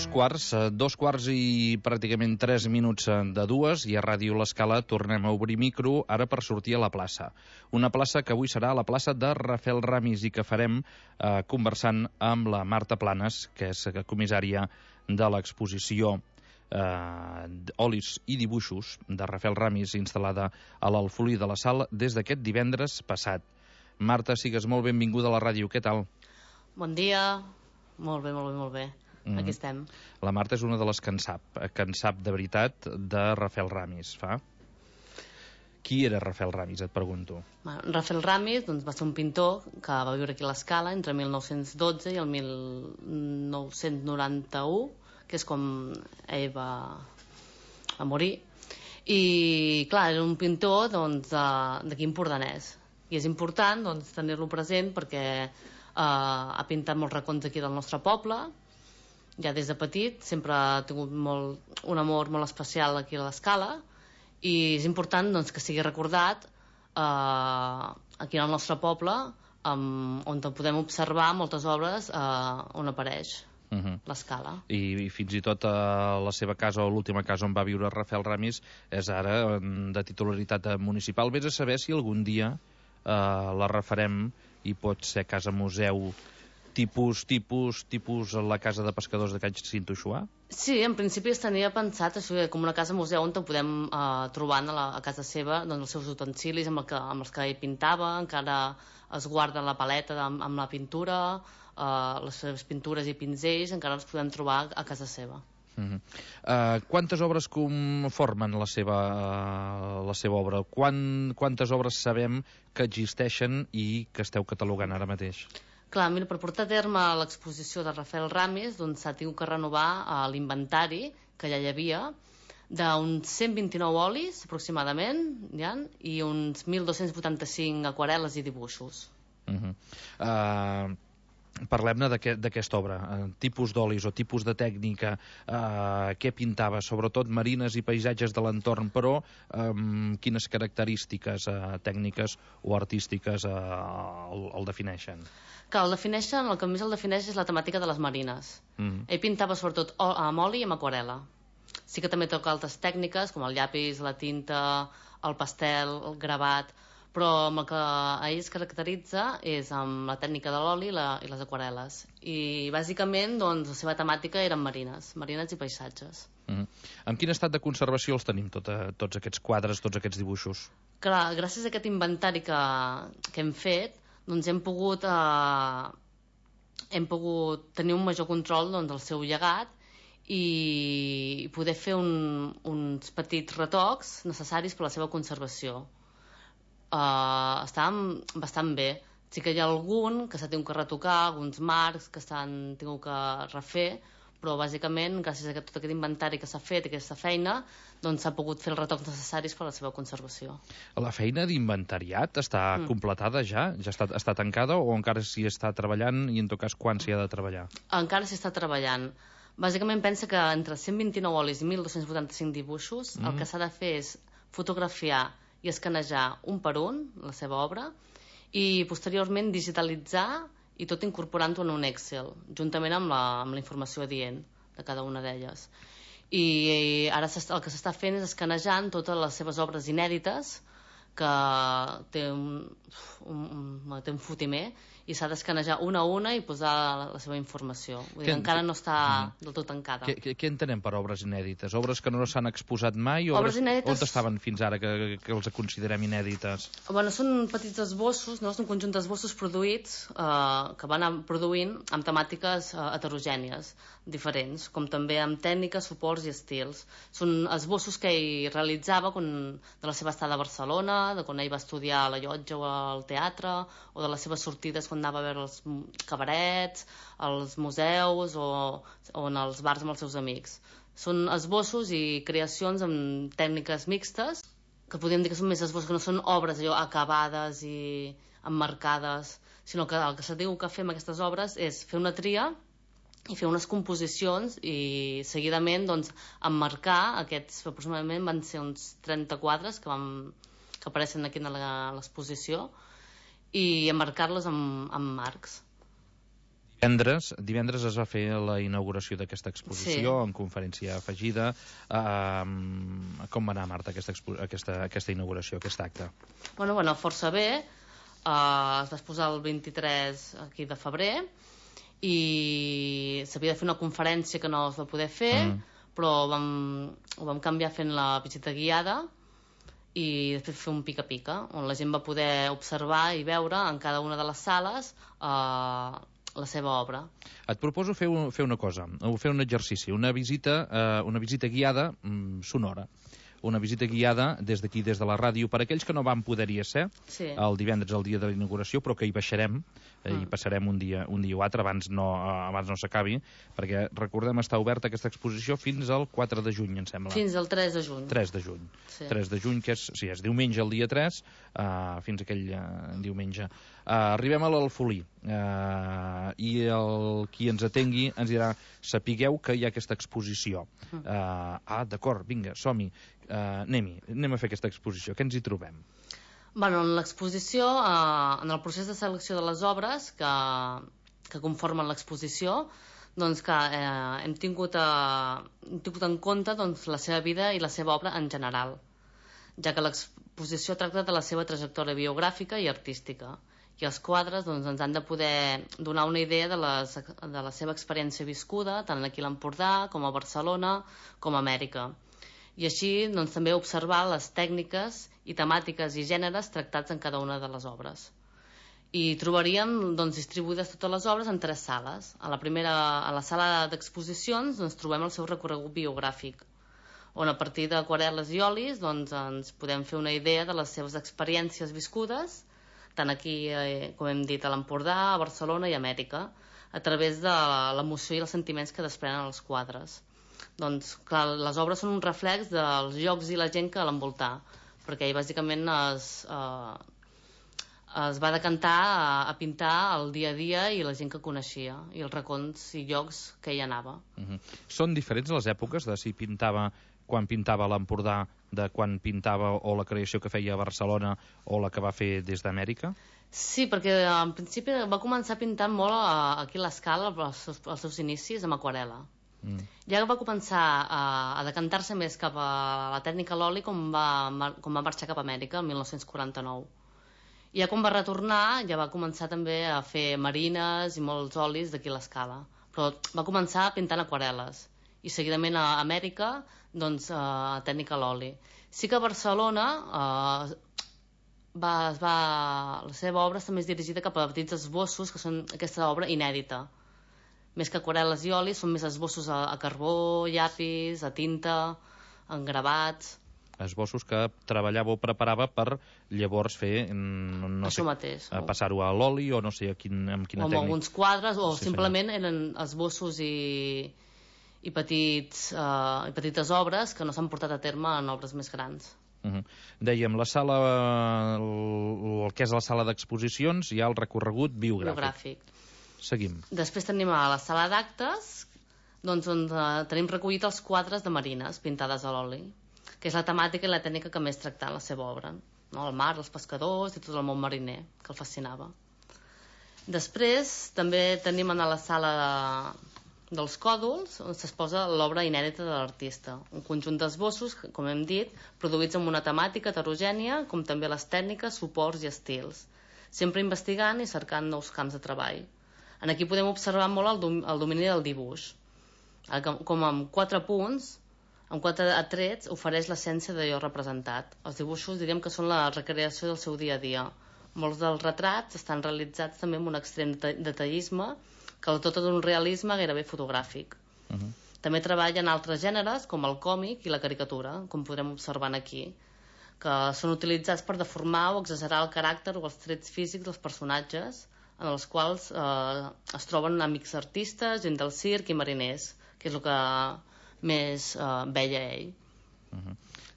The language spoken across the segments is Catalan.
Dos quarts i pràcticament 3 minuts de 2 i a Ràdio L'Escala tornem a obrir micro ara per sortir a la plaça. Una plaça que avui serà la plaça de Rafael Ramis i que farem conversant amb la Marta Planes, que és comissària de l'exposició Olis i dibuixos de Rafael Ramis instal·lada a l'Alfolí de la Sal des d'aquest divendres passat. Marta, sigues molt benvinguda a la ràdio, què tal? Bon dia, molt bé, molt bé, molt bé. Aquí estem. La Marta és una de les que en sap de veritat de Rafael Ramis, fa? Qui era Rafael Ramis, et pregunto? Rafael Ramis va ser un pintor que va viure aquí a l'Escala entre 1912 i el 1991, que és com ell va morir. I, clar, era un pintor d'aquí empordanès. I és important tenir-lo present perquè ha pintat molts racons aquí del nostre poble. Ja des de petit sempre ha tingut un amor molt especial aquí a l'Escala i és important que sigui recordat aquí al nostre poble on podem observar moltes obres on apareix l'Escala. I fins i tot la seva casa o l'última casa on va viure Rafael Ramis és ara de titularitat municipal. Vés a saber si algun dia la refarem i pot ser casa museu tipus la casa de pescadors de Can Cintoixuà? Sí, en principi es tenia pensat això com una casa museu on podem trobar a casa seva els seus utensilis amb els que ell pintava, encara es guarda la paleta amb la pintura, les seves pintures i pinzells encara els podem trobar a casa seva. Quantes obres conformen la seva obra? Quantes obres sabem que existeixen i que esteu catalogant ara mateix? Clar, mira, per portar a terme l'exposició de Rafael Ramis s'ha tingut que renovar l'inventari que ja hi havia d'uns 129 olis aproximadament i uns 1.285 aquarel·les i dibuixos. Parlem-ne d'aquesta obra, tipus d'olis o tipus de tècnica, què pintava, sobretot marines i paisatges de l'entorn, però quines característiques tècniques o artístiques el defineixen? Que el que més el defineix és la temàtica de les marines. Ell pintava sobretot amb oli i amb aquarel·la. Sí que també toca altres tècniques com el llapis, la tinta, el pastel, el gravat, però amb el que a ell es caracteritza és amb la tècnica de l'oli i les aquarel·les. I bàsicament la seva temàtica eren marines i paisatges. En quin estat de conservació els tenim tots aquests quadres, tots aquests dibuixos? Clar, gràcies a aquest inventari que hem fet hem pogut tenir un major control del seu llegat i poder fer uns petits retocs necessaris per a la seva conservació. Estan bastant bé. Sí que hi ha algun que s'ha tingut que retocar, alguns marcs que s'han tingut que refer, però bàsicament gràcies a tot aquest inventari que s'ha fet, aquesta feina, s'ha pogut fer els retocs necessaris per a la seva conservació. La feina d'inventariat està completada ja? Ja està tancada o encara s'hi està treballant i en tot cas quan s'hi ha de treballar? Encara s'hi està treballant. Bàsicament pensa que entre 129 olis i 1.285 dibuixos el que s'ha de fer és fotografiar i escanejar un per un la seva obra i posteriorment digitalitzar i tot incorporant-ho en un Excel, juntament amb la informació adient de cada una d'elles. I ara el que s'està fent és escanejant totes les seves obres inèdites, que té un fotimer, i s'ha d'escanejar una a una i posar la seva informació. Vull dir, encara no està del tot tancada. Què entenem per obres inèdites? Obres que no s'han exposat mai? Obres inèdites... On estaven fins ara que els considerem inèdites? Bueno, són petits esbossos, no? És un conjunt d'esbossos produïts que van produint amb temàtiques heterogènies, diferents, com també amb tècniques, suports i estils. Són esbossos que ell realitzava de la seva estada a Barcelona, de quan ell va estudiar a la llotja o al teatre, o de les seves sortides quan anava a veure els cabarets, els museus o en els bars amb els seus amics. Són esbossos i creacions amb tècniques mixtes, que podríem dir que són més esbossos, que no són obres allò acabades i emmarcades, sinó que el que se diu que fem aquestes obres és fer una tria i fer unes composicions i seguidament doncs, emmarcar aquests, aproximadament van ser uns 30 quadres que apareixen aquí a l'exposició i emmarcar-los amb marcs. Divendres es va fer la inauguració d'aquesta exposició, amb conferència afegida. Com va anar, Marta, aquesta inauguració, aquest acte? Bueno, força bé. Es va posar el 23 aquí de febrer i s'havia de fer una conferència que no es va poder fer, però ho vam canviar fent la visita guiada i després fer un pica-pica, on la gent va poder observar i veure en cada una de les sales la seva obra. Et proposo fer una cosa, fer un exercici, una visita guiada sonora. Una visita guiada des d'aquí, des de la ràdio, per aquells que no van poder-hi ser el divendres, el dia de la inauguració, però que hi baixarem, i passarem un dia o altre, abans no s'acabi, perquè recordem, està oberta aquesta exposició fins al 4 de juny, em sembla. Fins al 3 de juny. 3 de juny. Sí. 3 de juny, que és diumenge el dia 3, fins aquell diumenge. Arribem a l'Alfolí, i qui ens atengui ens dirà: sapigueu que hi ha aquesta exposició. D'acord, vinga, som-hi. Anem a fer aquesta exposició. Què ens hi trobem? En l'exposició, en el procés de selecció de les obres que conformen l'exposició, doncs que hem tingut en compte doncs, la seva vida i la seva obra en general, ja que l'exposició tracta de la seva trajectòria biogràfica i artística, i els quadres doncs, ens han de poder donar una idea de la seva experiència viscuda, tant aquí a l'Empordà, com a Barcelona, com a Amèrica. I així doncs, també observar les tècniques i temàtiques i gèneres tractats en cada una de les obres. I trobaríem doncs, distribuïdes totes les obres en 3 sales. A la sala d'exposicions doncs, trobem el seu recorregut biogràfic, on a partir d'aquarel·les i olis doncs, ens podem fer una idea de les seves experiències viscudes, tant aquí, com hem dit, a l'Empordà, a Barcelona i a Amèrica, a través de l'emoció i els sentiments que desprenen els quadres. Doncs, clar, les obres són un reflex dels llocs i la gent que l'envoltar, perquè ell bàsicament es va decantar a pintar el dia a dia i la gent que coneixia, i els racons i llocs que ell anava. Són diferents les èpoques de si pintava quan pintava a l'Empordà, de quan pintava o la creació que feia a Barcelona o la que va fer des d'Amèrica? Sí, perquè en principi va començar pintant molt aquí a l'Escala, als seus inicis, amb aquarel·la. Ja va començar a decantar-se més cap a la tècnica a l'oli quan va marxar cap a Amèrica, el 1949. I ja quan va retornar ja va començar també a fer marines i molts olis d'aquí a l'Escala, però va començar pintant aquarel·les i seguidament a Amèrica doncs tècnica a l'oli. Sí que a Barcelona la seva obra està més dirigida cap a petits esbossos, que són aquesta obra inèdita. Més que aquarel·les i olis, són més esbossos a carbó, llapis, a tinta, en gravats. Esbossos que treballava o preparava per llavors fer... Això mateix. Passar-ho a l'oli o no sé amb quina tècnica. O amb alguns quadres, o simplement eren esbossos i petites obres que no s'han portat a terme en obres més grans. Dèiem, el que és la sala d'exposicions, hi ha el recorregut biogràfic. Seguim. Després tenim a la sala d'actes, doncs, on tenim recollit els quadres de marines pintades a l'oli, que és la temàtica i la tècnica que més tracta en la seva obra, no? El mar, els pescadors i tot el món mariner, que el fascinava. Després també tenim a la sala dels còdols, on s'exposa l'obra inèdita de l'artista, un conjunt d'esbossos, com hem dit, produïts amb una temàtica heterogènia, com també les tècniques, suports i estils, sempre investigant i cercant nous camps de treball. Aquí podem observar molt el domini del dibuix, com amb 4 punts, amb 4 atrets, ofereix l'essència d'allò representat. Els dibuixos diríem que són la recreació del seu dia a dia. Molts dels retrats estan realitzats també amb un extrem detallisme que el dota d'un realisme gairebé fotogràfic. També treballa en altres gèneres, com el còmic i la caricatura, com podrem observar aquí, que són utilitzats per deformar o exagerar el caràcter o els trets físics dels personatges, en els quals es troben amics artistes, gent del circ i mariners, que és el que més veia ell.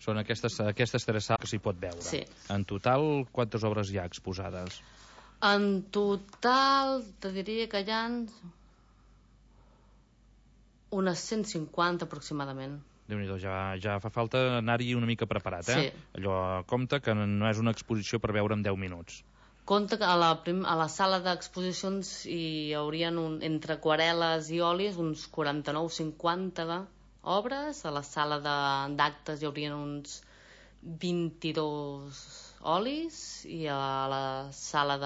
Són aquestes 3 sales que s'hi pot veure. Sí. En total, quantes obres hi ha exposades? En total, te diria que hi ha Unes 150 aproximadament. Déu-n'hi-do, ja fa falta anar-hi una mica preparat, Sí. Allò, compte que no és una exposició per veure en 10 minuts. Compte que a la sala d'exposicions hi haurien entre aquarel·les i olis uns 49-50 obres, a la sala d'actes hi haurien uns 22 olis i a la sala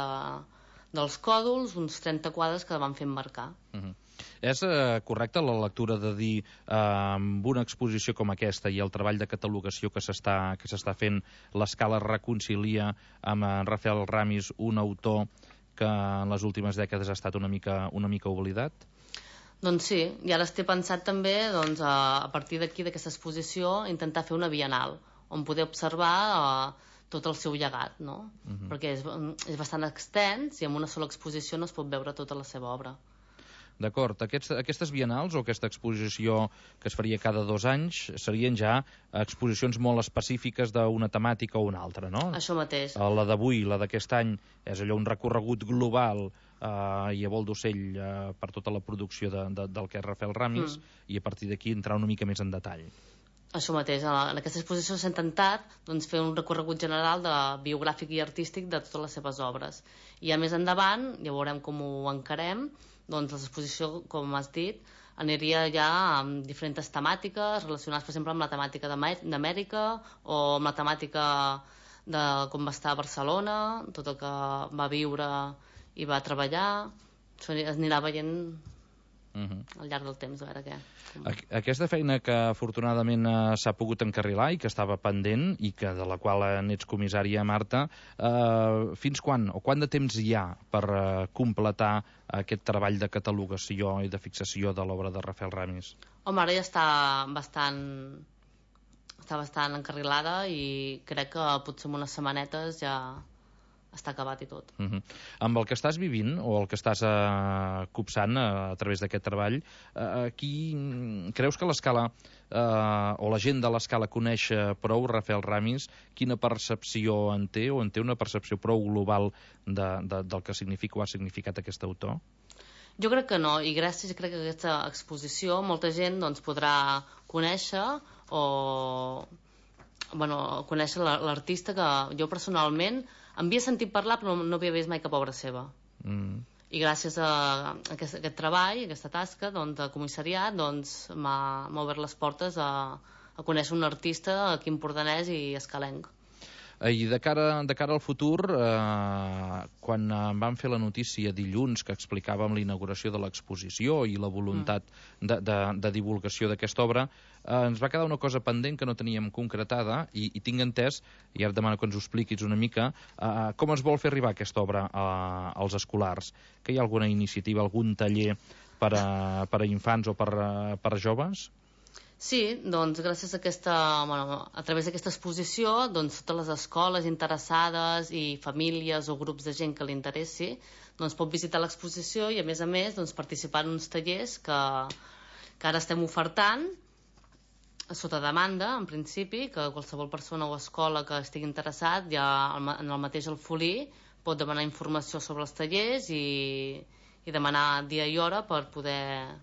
dels còdols uns 30 quadres que van fent marcar. És correcte la lectura de dir amb una exposició com aquesta i el treball de catalogació que s'està fent, l'Escala reconcilia amb Rafael Ramis, un autor que en les últimes dècades ha estat una mica oblidat? Doncs sí, i ara estic pensat també a partir d'aquí, d'aquesta exposició, intentar fer una bienal on poder observar tot el seu llegat, no? Perquè és bastant extens i en una sola exposició no es pot veure tota la seva obra. D'acord, aquestes bienals o aquesta exposició que es faria cada 2 anys serien ja exposicions molt específiques d'una temàtica o una altra, no? Això mateix. La d'avui, la d'aquest any, és allò un recorregut global i a vol d'ocell per tota la producció del que és Rafael Ramis i a partir d'aquí entrar una mica més en detall. Això mateix, en aquesta exposició s'ha intentat fer un recorregut general biogràfic i artístic de totes les seves obres. I a més endavant, ja veurem com ho encarem, l'exposició, com has dit, aniria ja amb diferents temàtiques relacionades, per exemple, amb la temàtica d'Amèrica o amb la temàtica de com va estar a Barcelona, tot el que va viure i va treballar. Es anirà veient al llarg del temps, a veure què. Aquesta feina que afortunadament s'ha pogut encarrilar i que estava pendent i que de la qual n'ets comissària, Marta, fins quan o quant de temps hi ha per completar aquest treball de catalogació i de fixació de l'obra de Rafael Ramis? Home, ara ja està bastant encarrilada i crec que potser en unes setmanetes ja està acabat i tot. Amb el que estàs vivint o el que estàs copsant a través d'aquest treball, creus que l'Escala o la gent de l'Escala coneix prou Rafael Ramis? Quina percepció en té o en té una percepció prou global del que significa o ha significat aquest autor? Jo crec que no, i gràcies crec que aquesta exposició molta gent podrà conèixer conèixer l'artista que jo personalment havia sentit parlar però no havia vist mai cap obra seva. I gràcies a aquest treball, a aquesta tasca de comissariat, m'ha obert les portes a conèixer un artista aquí empordanès i escalenc. I de cara al futur, quan vam fer la notícia dilluns que explicàvem la inauguració de l'exposició i la voluntat de divulgació d'aquesta obra, ens va quedar una cosa pendent que no teníem concretada i tinc entès, i ara et demano que ens ho expliquis una mica, com es vol fer arribar aquesta obra als escolars? Que hi ha alguna iniciativa, algun taller per a infants o per a joves? Sí, gràcies a través d'aquesta exposició, totes les escoles interessades i famílies o grups de gent que li interessi pot visitar l'exposició i a més participar en uns tallers que ara estem ofertant sota demanda, en principi, que qualsevol persona o escola que estigui interessat ja en el mateix Alfolí pot demanar informació sobre els tallers i demanar dia i hora per poder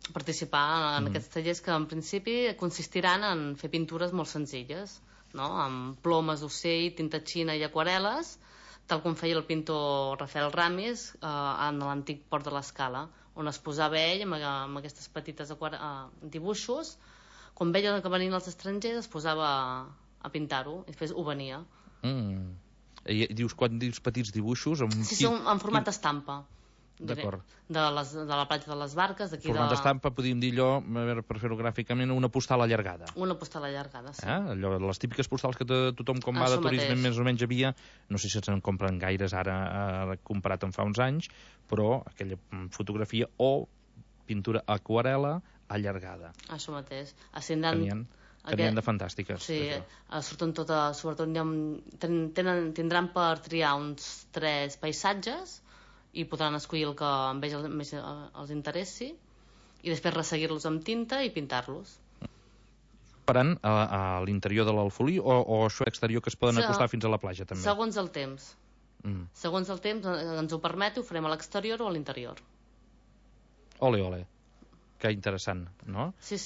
participar en aquests tallers que en principi consistiran en fer pintures molt senzilles, no? Amb plomes d'ocell, tinta xina i aquarel·les, tal com feia el pintor Rafael Ramis en l'antic port de l'Escala, on es posava ell amb aquestes petites dibuixos. Quan veia que venien els estrangers es posava a pintar-ho i després ho venia. Quan dius petits dibuixos? Sí, són en format estampa. D'acord. De la platja de les Barques. Format d'estampa, podríem dir allò, per fer-ho gràficament, una postal allargada. Una postal allargada, sí. Les típiques postals que tothom quan va de turisme més o menys havia, no sé si se'n compren gaires ara comparat amb fa uns anys, però aquella fotografia o pintura aquarel·la allargada. Això mateix. Que n'hi ha de fantàstiques. Sí, surten totes, sobretot tindran per triar uns 3 paisatges i podran escollir el que més els interessi i després resseguir-los amb tinta i pintar-los. Faran a l'interior de l'Alfolí o això exterior que es poden acostar fins a la platja també? Segons el temps. Segons el temps ens ho permeti, ho farem a l'exterior o a l'interior. Ole, ole. Que interessant, no? Sí,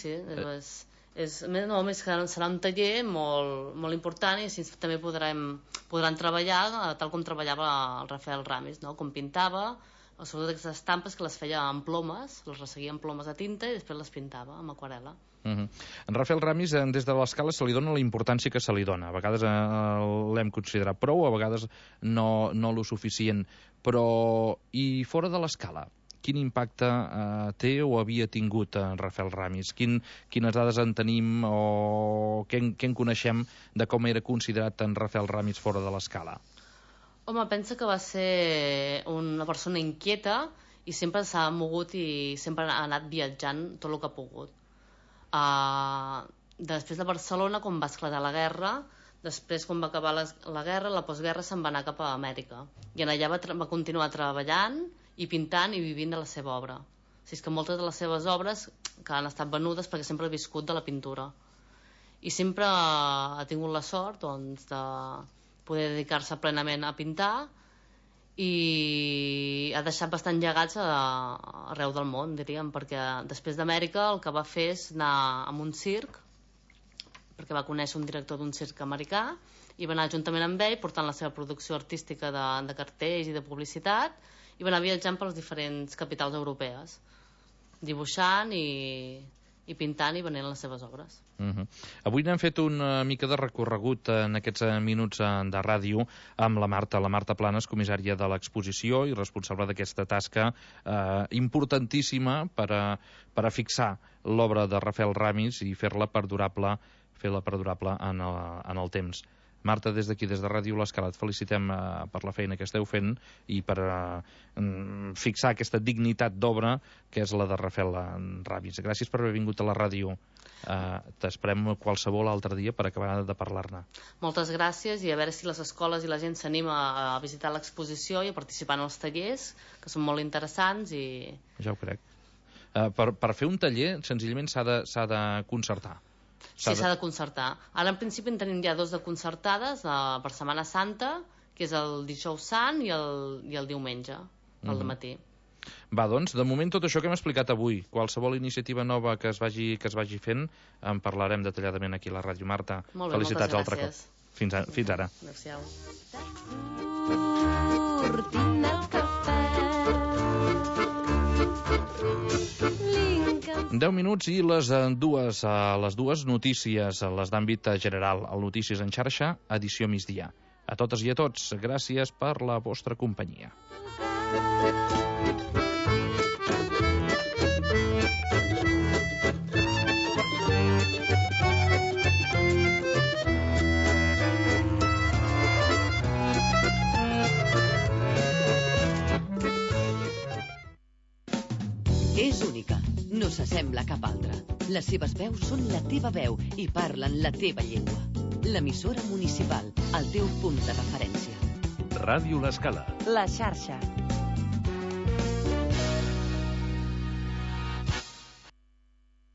només que serà un taller molt important i així també podran treballar tal com treballava el Rafael Ramis, no? Com pintava, sobretot aquestes estampes que les feia amb plomes, les resseguia amb plomes de tinta i després les pintava amb aquarel·la. En Rafael Ramis, des de l'Escala se li dona la importància que se li dona. A vegades l'hem considerat prou, a vegades no lo suficient. Però, i fora de l'Escala, quin impacte té o havia tingut en Rafael Ramis? Quines dades en tenim o què en coneixem de com era considerat en Rafael Ramis fora de l'Escala? Home, pensa que va ser una persona inquieta i sempre s'ha mogut i sempre ha anat viatjant tot el que ha pogut. Després de Barcelona, quan va esclatar la guerra, després quan va acabar la guerra, la postguerra se'n va anar cap a Amèrica i allà va continuar treballant i pintant i vivint de la seva obra. O sigui, és que moltes de les seves obres que han estat venudes perquè sempre ha viscut de la pintura i sempre ha tingut la sort, doncs, de poder dedicar-se plenament a pintar i ha deixat bastant llegats arreu del món, diríem, perquè després d'Amèrica el que va fer és anar a un circ, perquè va conèixer un director d'un circ americà i va anar juntament amb ell portant la seva producció artística de cartells i de publicitat i va anar viatjant per les diferents capitals europees, dibuixant i pintant i venent les seves obres. Avui n'hem fet una mica de recorregut en aquests minuts de ràdio amb la Marta Planes, comissària de l'exposició i responsable d'aquesta tasca importantíssima per a fixar l'obra de Rafael Ramis i fer-la perdurable en el temps. Marta, des d'aquí, des de Ràdio l'Escala, et felicitem per la feina que esteu fent i per fixar aquesta dignitat d'obra que és la de Rafael Ramis. Gràcies per haver vingut a la ràdio. T'esperem qualsevol altre dia per acabar de parlar-ne. Moltes gràcies i a veure si les escoles i la gent s'anima a visitar l'exposició i a participar en els tallers, que són molt interessants i... Ja ho crec. Per fer un taller, senzillament s'ha de concertar. Sí, s'ha de concertar. Ara, en principi, en tenim ja 2 de concertades per Setmana Santa, que és el dijous sant i el diumenge, al matí. Va, doncs, de moment tot això que hem explicat avui, qualsevol iniciativa nova que es vagi fent, en parlarem detalladament aquí a la ràdio. Marta, molt bé, felicitats altre cop. Fins ara. Adéu-siau. 10 minuts i les dues notícies, les d'àmbit general, el Notícies en xarxa, edició migdia. A totes i a tots, gràcies per la vostra companyia. És única, no s'assembla a cap altra. Les seves veus són la teva veu i parlen la teva llengua. L'emissora municipal, el teu punt de referència. Ràdio l'Escala. La xarxa.